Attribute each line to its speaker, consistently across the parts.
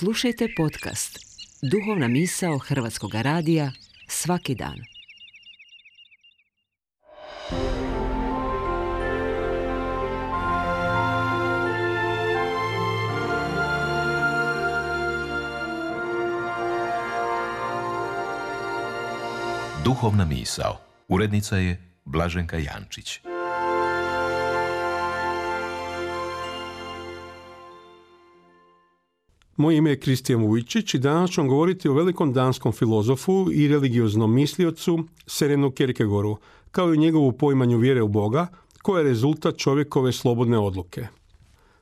Speaker 1: Slušajte podcast Duhovna misao Hrvatskog radija svaki dan.
Speaker 2: Duhovna misao. Urednica je Blaženka Jančić.
Speaker 3: Moje ime je Kristijan Vujčić i danas ću vam govoriti o velikom danskom filozofu i religioznom misliocu Sørenu Kierkegaardu, kao i njegovu poimanju vjere u Boga, koja je rezultat čovjekove slobodne odluke.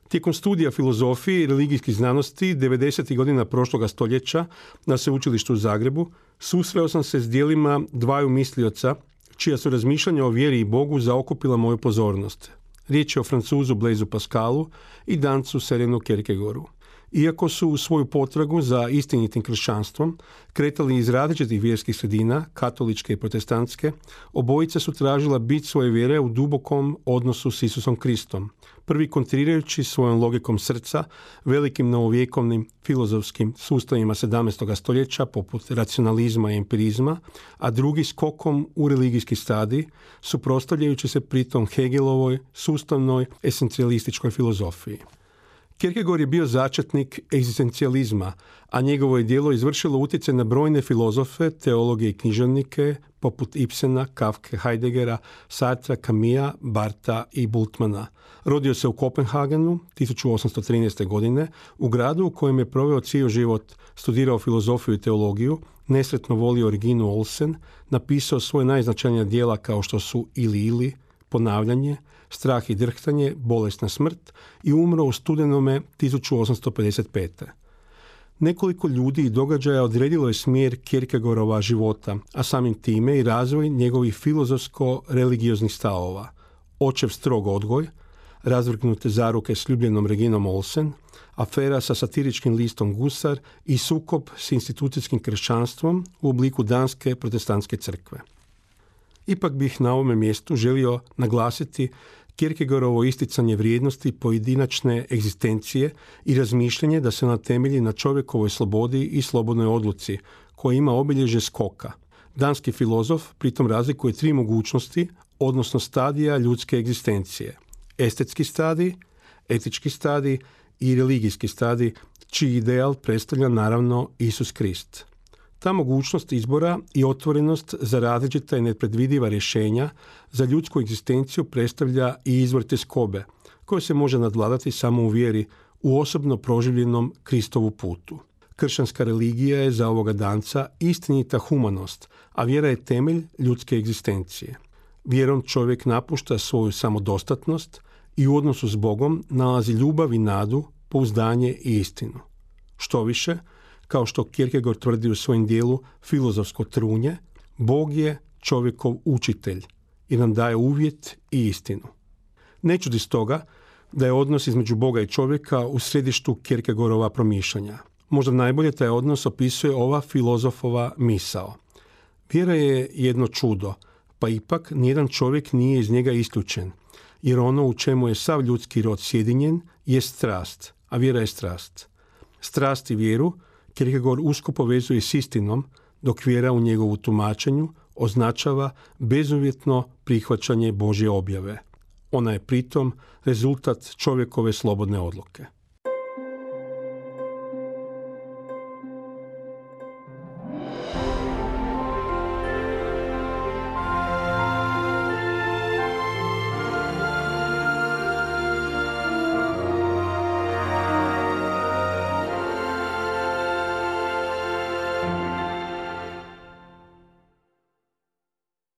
Speaker 3: Tijekom studija filozofije i religijskih znanosti 90. godina prošloga stoljeća na Sveučilištu u Zagrebu susreo sam se s dijelima dvaju mislioca čija su razmišljanja o vjeri i Bogu zaokupila moju pozornost. Riječ je o Francuzu Blaisu Pascalu i Dancu Sørenu Kierkegaardu. Iako su u svoju potragu za istinitim kršćanstvom kretali iz različitih vjerskih sredina, katoličke i protestantske, obojica su tražila bit svoje vjere u dubokom odnosu s Isusom Kristom, prvi kontrirajući svojom logikom srca velikim novovjekovnim filozofskim sustavima 17. stoljeća poput racionalizma i empirizma, a drugi skokom u religijski stadij, suprotstavljajući se pritom Hegelovoj sustavnoj esencijalističkoj filozofiji. Kierkegaard je bio začetnik egzistencijalizma, a njegovo je djelo izvršilo utjecaj na brojne filozofe, teologe i književnike poput Ibsena, Kafke, Heideggera, Sartra, Camusa, Bartha i Bultmana. Rodio se u Kopenhagenu 1813. godine, u gradu u kojem je proveo cijeli život, studirao filozofiju i teologiju, nesretno volio Reginu Olsen, napisao svoje najznačajnija djela kao što su Ili, Ponavljanje, Strah i drhtanje, Bolesna smrt i umro u studenome 1855. Nekoliko ljudi i događaja odredilo je smjer Kierkegaardova života, a samim time i razvoj njegovih filozofsko-religioznih stavova. Očev strog odgoj, razvrgnute zaruke s ljubljenom Reginom Olsen, afera sa satiričkim listom Gusar i sukob s institucijskim kršćanstvom u obliku danske protestantske crkve. Ipak bih na ovome mjestu želio naglasiti Kierkegaardovo isticanje vrijednosti pojedinačne egzistencije i razmišljanje da se ona temelji na čovjekovoj slobodi i slobodnoj odluci, koja ima obilježje skoka. Danski filozof pritom razlikuje tri mogućnosti, odnosno stadija ljudske egzistencije. Estetski stadij, etički stadij i religijski stadij, čiji ideal predstavlja naravno Isus Krist. Ta mogućnost izbora i otvorenost za različita i nepredvidiva rješenja za ljudsku egzistenciju predstavlja i izvor tjeskobe, koje se može nadvladati samo u vjeri u osobno proživljenom Kristovu putu. Kršćanska religija je za ovoga danca istinita humanost, a vjera je temelj ljudske egzistencije. Vjerom čovjek napušta svoju samodostatnost i u odnosu s Bogom nalazi ljubav i nadu, pouzdanje i istinu. Štoviše, kao što Kierkegaard tvrdi u svojem dijelu Filozofsko trunje, Bog je čovjekov učitelj i nam daje uvjet i istinu. Ne čudi stoga da je odnos između Boga i čovjeka u središtu Kierkegaardova promišljanja. Možda najbolje taj odnos opisuje ova filozofova misao. Vjera je jedno čudo, pa ipak nijedan čovjek nije iz njega isključen, jer ono u čemu je sav ljudski rod sjedinjen je strast, a vjera je strast. Strast i vjeru Kierkegaard usko povezuje s istinom, dok vjera u njegovu tumačenju označava bezuvjetno prihvaćanje Božje objave. Ona je pritom rezultat čovjekove slobodne odluke.